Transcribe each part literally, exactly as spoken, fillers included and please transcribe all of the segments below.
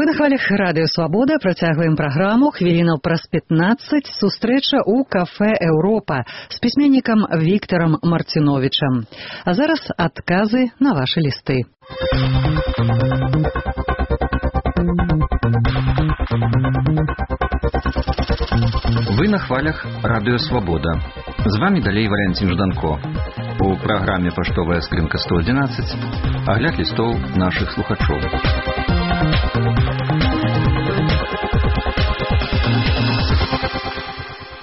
На хвалях Радыё Свабода працягваем праграму. Хвілінаў праз пятнаццаць сустрэча ў кафэ «Еўропа» з пісьменнікам Віктарам Марціновічам. А зараз адказы на вашы лісты. Вы на хвалях Радыё Свабода. З вами далей Валянцін Жданко. У праграме «Паштовая скрынка сто адзінаццаць» агляд лістоў нашых слухачоў.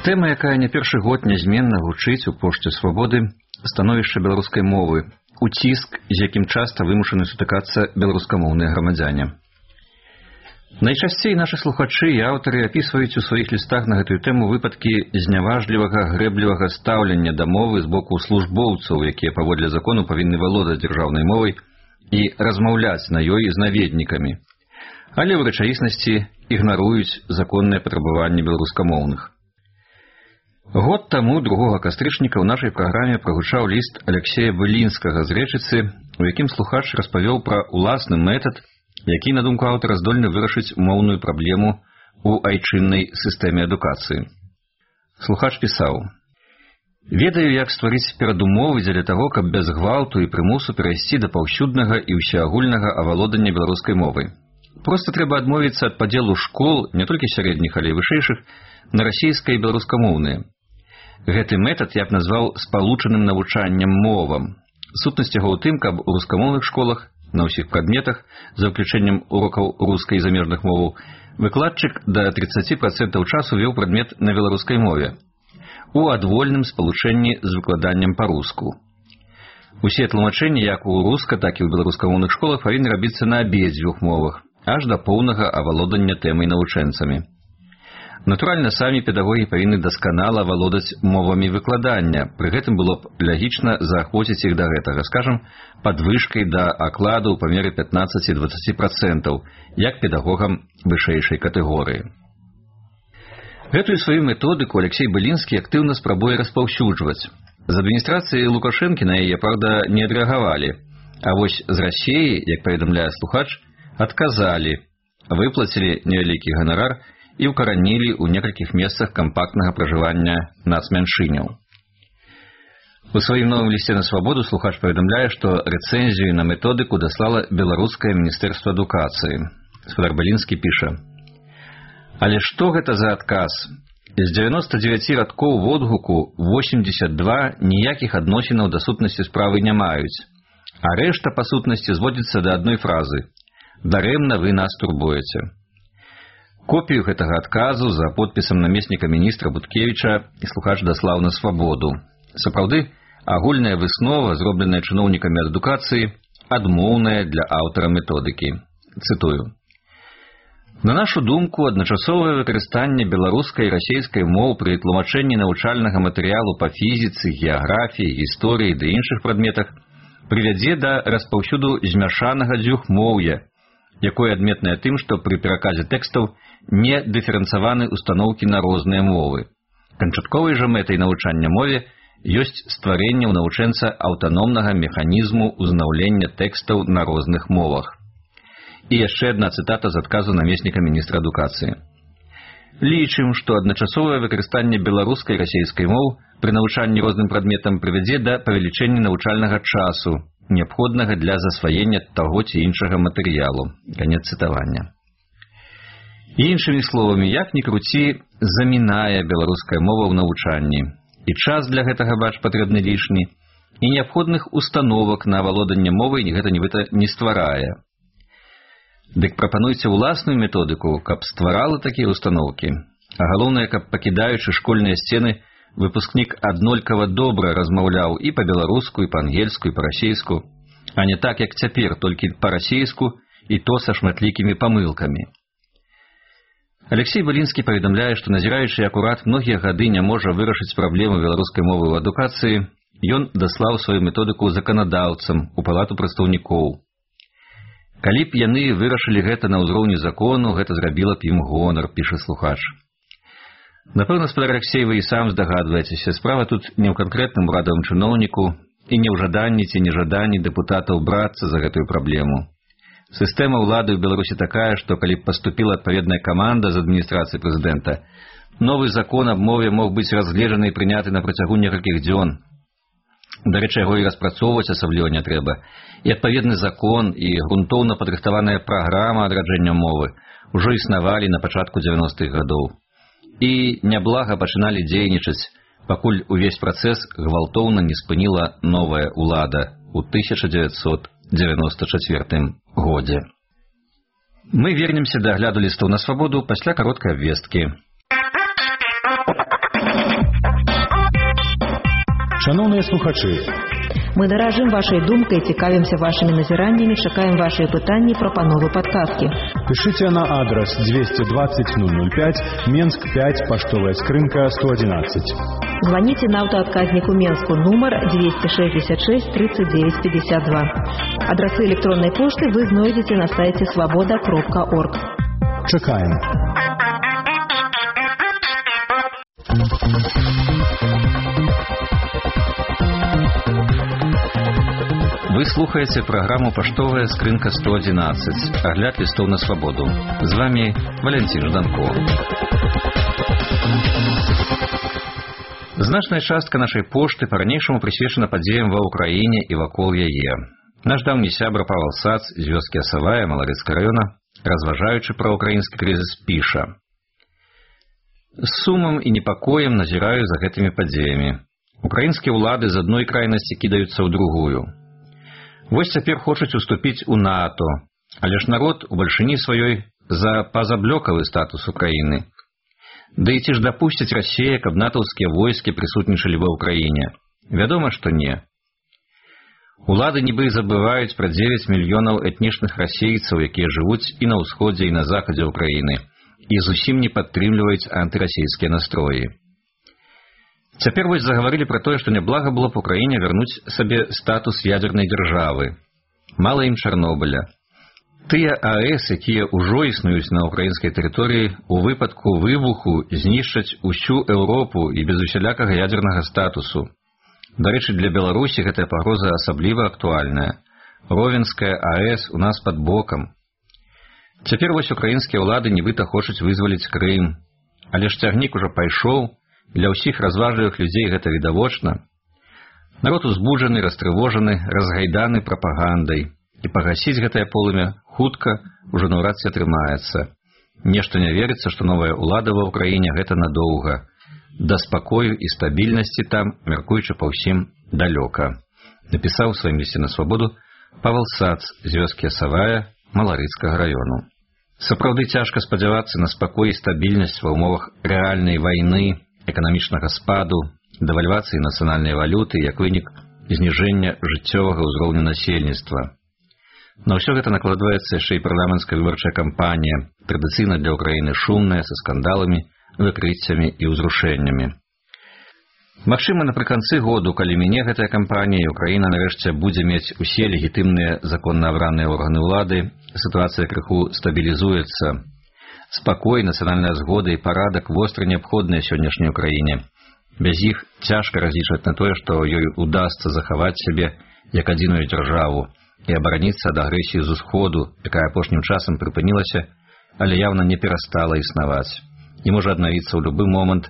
Тэма, якая не першы год нязменна гучыць у пошце свабоды, становішча беларускай мовы, уціск, з якім часта вымушаны сутыкацца беларускамоўныя грамадзяне. Найчасцей нашы слухачы і аўтары апісваюць у сваіх лістах на гэтую тэму выпадкі зняважлівага, грэблівага стаўлення да мовы з боку службоўцаў, якія паводле закону павінны валодаць дзяржаўнай мовай і размаўляць на ёй з наведнікамі, але ў рэчаіснасці ігнаруюць законныя патрабаванні беларускамоўных. Год таму, другога кастрычніка, ў нашай праграме прагучаў ліст Алексея Былінскага з Рэчыцы, у якім слухач распавёў пра уласны метад, які, на думку аўтара, здольны вырашыць моўную праблему ў айчыннай сістэме адукацыі. Слухач пісаў: «Ведаю, як стварыць перадумовы дзеля таго, каб без гвалту і прымусу перайсці да паўсюднага і ўсеагульнага авалодання беларускай мовай. Проста трэба адмовіцца ад падзелу школ, не толькі сярэдніх, але і вышэйшых, на расійскай і беларускамоўныя. Гэты метад я б назваў спалучаным навучаннем мовам. Сутнасць яго ў тым, каб у рускамоўных школах на ўсіх прадметах, за выключэннем урокаў рускай і замежных моваў, выкладчык да тридцаць процентаў часу вёў прадмет на беларускай мове, у адвольным спалучэнні з выкладаннем па-руску. Усе тлумачэнні як у руска, так і ў беларускамоўных школах павінны рабіцца на абедзвюх мовах, аж да поўнага авалодання тэмай навучэнцамі. Натуральна, самі педагогі павінны дасканала валодаць мовамі выкладання, пры гэтым было б лагічна заахвоціць іх да гэтага, скажам, падвышкай да акладу ў памеры пятнаццаць-дваццаць процентаў, як педагогам вышэйшай катэгорыі. Гэтую сваю методыку Алексей Былінскі актыўна спрабуе распаўсюджваць. З адміністрацыі Лукашэнкі на яе, правда, не адрэагавалі, а вось з Расіі, як паведамляе слухач, адказалі, выплацілі невялікі ганарар і ўкаранілі ў некалькіх месцах кампактнага пражывання нацмяншыняў. У сваім новым лісце на свабоду слухач паведамляе, што рэцэнзію на методыку даслала беларускае міністэрства адукацыі. Спадар Былінскі піша: «Але што гэта за адказ? З дзевяноста дзевяці радкоў водгуку восемьдесят два ніякіх адносінаў да сутнасці справы не маюць, а рэшта па сутнасці зводзіцца да адной фразы: дарэмна вы нас турбуеце». Копію гэтага адказу за подпісам намесніка міністра Буткевіча слухач даслаў на свабоду. Сапраўды, агульная выснова, зробленая чыноўнікамі адукацыі, адмоўная для аўтара методыкі. Цытую: «На нашу думку, адначасовае выкарыстанне беларускай і расейскай моў пры тлумачэнні навучальнага матэрыялу па фізіцы, геаграфіі, гісторыі ды іншых прадметах прывядзе да распаўсюду змяшанага дзвюхмоўя, якое адметнае тым, што пры пераказе тэкстаў не дыферэнцаваны устаноўкі на розныя мовы. Канчатковай жа мэтай навучання мове ёсць стварэнне ў навучэнца аўтаномнага механізму ўзнаўлення тэкстаў на розных мовах». І яшчэ адна цытата з адказу намесніка міністра адукацыі. «Лічым, што адначасовае выкарыстанне беларускай і расейскай моў пры навучанні розным прадметам прывядзе да павелічэння навучальнага часу, неабходнага для засваення таго ці іншага матэрыялу». Канец цытавання. Іншымі словамі, як ні круці, замінае беларуская мова ў навучанні. І час для гэтага, бач, патрэбны лішні, і неабходных установак на авалоданне мовай гэта нібыта не стварае. Дык прапануйце ўласную методыку, каб стварала такія установкі. А галоўнае, каб, пакідаючы школьныя сцены, выпускнік аднолькава добра размаўляў і па-беларуску, і па-ангельску, і па-расейску, а не так, як цяпер, толькі па-расейску, і то са шматлікімі памылкамі. Алексей Былінскі паведамляе, што назіраючы, як урад многія гады не можа вырашыць праблему беларускай мовы ў адукацыі, ён даслаў сваю методыку заканадаўцам у палату прадстаўнікоў. Калі б яны вырашылі гэта на ўзроўні закону, гэта зрабіла б ім гонар, піша слухач. Напэўна, спадар Алексей, вы і сам здагадваецеся, справа тут не ў канкрэтным урадавым чыноўніку і не ў жаданні ці нежаданні дэпутатаў брацца за гэтую праблему. Сістэма ўлады ў Беларусі такая, што калі б паступіла адпаведная каманда з адміністрацыі прэзідэнта, новы закон аб мове мог быць разгледжаны і прыняты на працягу некалькіх дзён. Дарэчы, яго і распрацоўваць асабліва не трэба. І адпаведны закон, і грунтоўна падрыхтаваная праграма адраджэння мовы ўжо існавалі на пачатку дзевяностых гадоў. І няблага пачыналі дзейнічаць, пакуль увесь працэс гвалтоўна не спыніла новая ўлада ў тысяча дзевяцьсот дзевяноста чацвёртым годзе. Мы вернемся да агляду лістоў на свабоду пасля кароткай абвесткі. Шановные слухачи, мы дорожим вашей думкой, цікавимся вашими назираниями, чекаем ваши пытания, пропановы, подсказки. Пишите на адрес двести двадцать ноль ноль пять, Менск пять, поштовая скрынка сто одиннадцать. Звоните на автоотказнику Менску, номер двести шестьдесят шесть тридцать девять пятьдесят два. Адресы электронной почты вы найдете на сайте свобода точка орг. Чекаем. Вы слухаете программу «Поштовая скрынка сто одиннадцать». Огляд листов на свободу. С вами Валентин Жданко. Значная частка нашей пошты по-ранейшаму присвечена падзеям ва Украине и вакол яе. Наш давні сябра Павел Сац з вёскі Асавая Маларыцкага района, разважаючы пра украінскі крызіс, піша: «З сумам і непакоем назіраю за гэтымі падзеямі. Украінскія ўлады з адной крайнасці кідаюцца ў другую. Вось цяпер хочуць уступіць у НАТО, але ж народ у бальшыні сваёй за пазаблёкавы статус Украіны. Да і ці ж дапусціць Расія, каб натаўскія войскі прысутнічалі ва Ўкраіне? Вядома, што не. Улады нібы забываюць пра дзевяць мільёнаў этнічных расейцаў, якія жывуць і на ўсходзе, і на захадзе Ўкраіны, і зусім не падтрымліваюць антырасійскія настроі. Цяпер вось загаварылі пра тое, што няблага было б Украіне вярнуць сабе статус ядзернай дзяржавы. Мала ім Чарнобыля. Тыя АЭС, якія ўжо існуюць на украінскай тэрыторыі, у выпадку выбуху знішчаць усю Еўропу і без усялякага ядзернага статусу. Дарэчы, для Беларусі гэтая пагроза асабліва актуальная. Ровенская АЭС у нас пад бокам. Цяпер вось украінскія ўлады нібыта хочуць вызваліць Крым. Але ж цягнік ужо пайшоў. Для ўсіх разважлівых людзей гэта відавочна. Народ узбуджаны, растрывожаны, разгайданы прапагандай. І пагасіць гэтае полымя хутка ўжо наўрад ці атрымаецца. Нешта не верыцца, што новая ўлада ва Ўкраіне гэта надоўга. Да спакою і стабільнасці там, мяркуючы па ўсім, далёка. Напісаў у сваім лісце на свабоду Павел Сац з вёскі Асавая Маларыцкага району. Сапраўды цяжка спадзявацца на спакой і стабільнасць ва ўмовах рэальнай вайны, эканамічнага спаду, дэвальвацыі нацыянальнай валюты як вынік зніжэння жыццёвага ўзроўню насельніцтва. На ўсё гэта накладваецца яшчэ і парламенцкая выбарчая кампанія, традыцыйна для Ўкраіны шумная, са скандаламі, выкрыццямі і ўзрушэннямі. Магчыма, напрыканцы году, калі міне гэтая кампанія, Украіна нарэшце будзе мець усе легітымныя законна абраныя органы ўлады, сітуацыя крыху стабілізуецца. Спакой, нацыянальная згода і парадак востра неабходныя сённяшняй Украіне. Без іх цяжка разлічваць на тое, што ёй удасца захаваць сябе як адзіную дзяржаву і абараніцца ад агрэсіі з усходу, якая апошнім часам прыпынілася, але явна не перастала існаваць. І можа аднавіцца ў любы момант,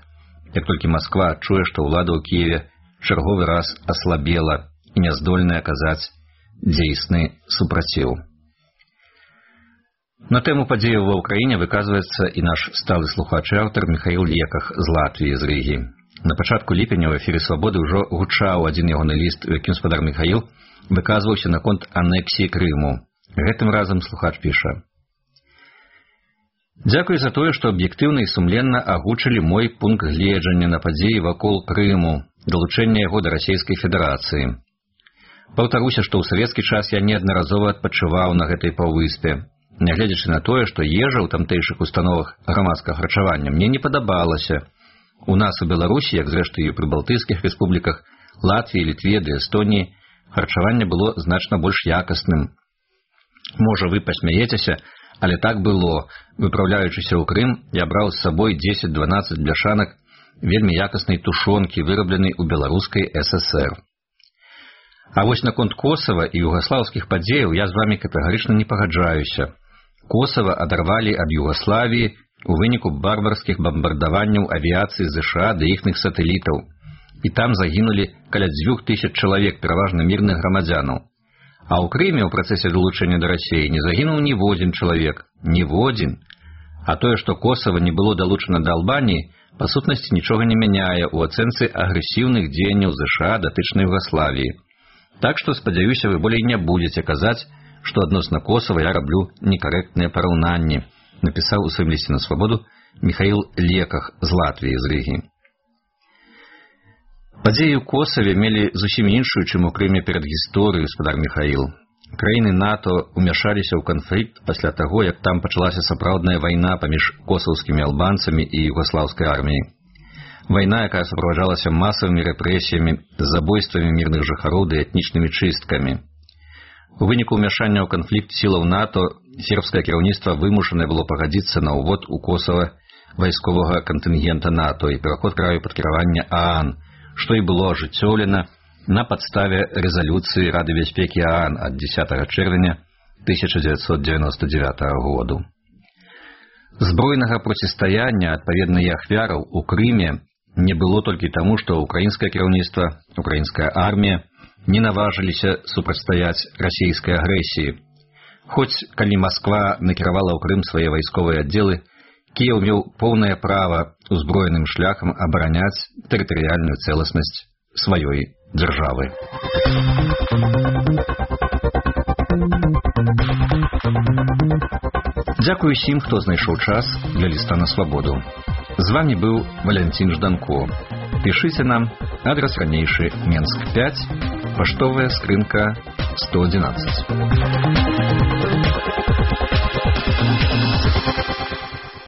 як толькі Масква адчуе, што ўлада ў Кіеве чарговы раз аслабела і няздольная аказаць дзейсны супраціў. На тэму падзеяў ва Ўкраіне выказваецца і наш сталы слухач і аўтар Міхаіл Леках з Латвіі, з Рыгі. На пачатку ліпеня ў эфіры «Свабоды» ўжо гучаў адзін ягоны ліст, у якім спадар Міхаіл выказваўся наконт анексіі Крыму. Гэтым разам слухач піша: «Дзякуй за тое, што аб'ектыўна і сумленна агучылі мой пункт гледжання на падзеі вакол Крыму, далучэння яго да Расійскай Федэрацыі. Паўтаруся, што ў савецкі час я неаднаразова адпачываў на гэтай паўвыспе. Нягледзячы на тое, што ежа ў тамтэйшых установах грамадскага харчавання мне не падабалася. У нас у Беларусі, як зрэшты і ў прыбалтыйскіх рэспубліках, Латвіі, Літве ды Эстоніі, харчаванне было значна больш якасным. Можа, вы пасмяецеся, але так было. Выпраўляючыся ў Крым, я браў з сабой дзесяць-дванаццаць бляшанак вельмі якаснай тушонкі, вырабленай у беларускай ССР. А вось наконт Косава і югаслаўскіх падзеяў я з вамі катэгарычна не пагаджаюся. Косава адарвалі ад Югаславіі у выніку барбарскіх бамбардаванняў авіяцыі ЗША ды іхных сатэлітаў. І там загінулі каля дзвюх тысяч чалавек, пераважна мірных грамадзянаў. А ў Крыме ў працэсе далучэння да Расіі не загінуў ніводзін чалавек. Ніводзін. А тое, што Косава не было далучана да Албаніі, па сутнасці нічога не мяняе ў ацэнцы агрэсіўных дзеянняў ЗША датычнай Югаславіі. Так што, спадзяюся, вы болей не будзеце казаць, што адносна Косава я раблю некарэктныя параўнанні, напісаў у сваім лісце на свабоду Міхаіл Леках з Латвіі, з Рыгі. Падзеі ў Косаве мелі зусім іншую, чым у Крыме перад гісторыю, гаспадар Міхаіл. Краіны НАТО ўмяшаліся ў канфлікт пасля таго, як там пачалася сапраўдная вайна паміж косаўскімі албанцамі і югаслаўскай арміяй. Вайна, якая суправаджалася масавымі рэпрэсіямі, забойствамі мірных жыхароў ды этнічнымі чысткамі. У выніку ўмяшання ў канфлікт сілаў НАТО сербскае кіраўніцтва вымушанае было пагадзіцца на ўвод у Косава вайсковага кантынгента НАТО і пераход краю пад кіраванне ААН, што і было ажыццёўлена на падставе рэзалюцыі Рады бяспекі ААН ад дзесятага чэрвеня тысяча дзевяцьсот дзевяноста дзевятага году. Збройнага процістаяння, адпаведна і ахвяраў, у Крыме не было толькі таму, што украінскае кіраўніцтва, украінская армія не наважыліся супрацьстаяць расійскай агрэсіі. Хоць, калі Масква накіравала ў Крым свае вайсковыя аддзелы, Кіеў меў поўнае права узброеным шляхам абараняць тэрытарыяльную цэласнасць сваёй дзяржавы. Дзякую усім, хто знайшоў час для ліста на свабоду. З вамі быў Валянцін Жданко. Пішыце нам, адрас ранейшы Менск пяць, паштовая скрынка сто адзінаццаць.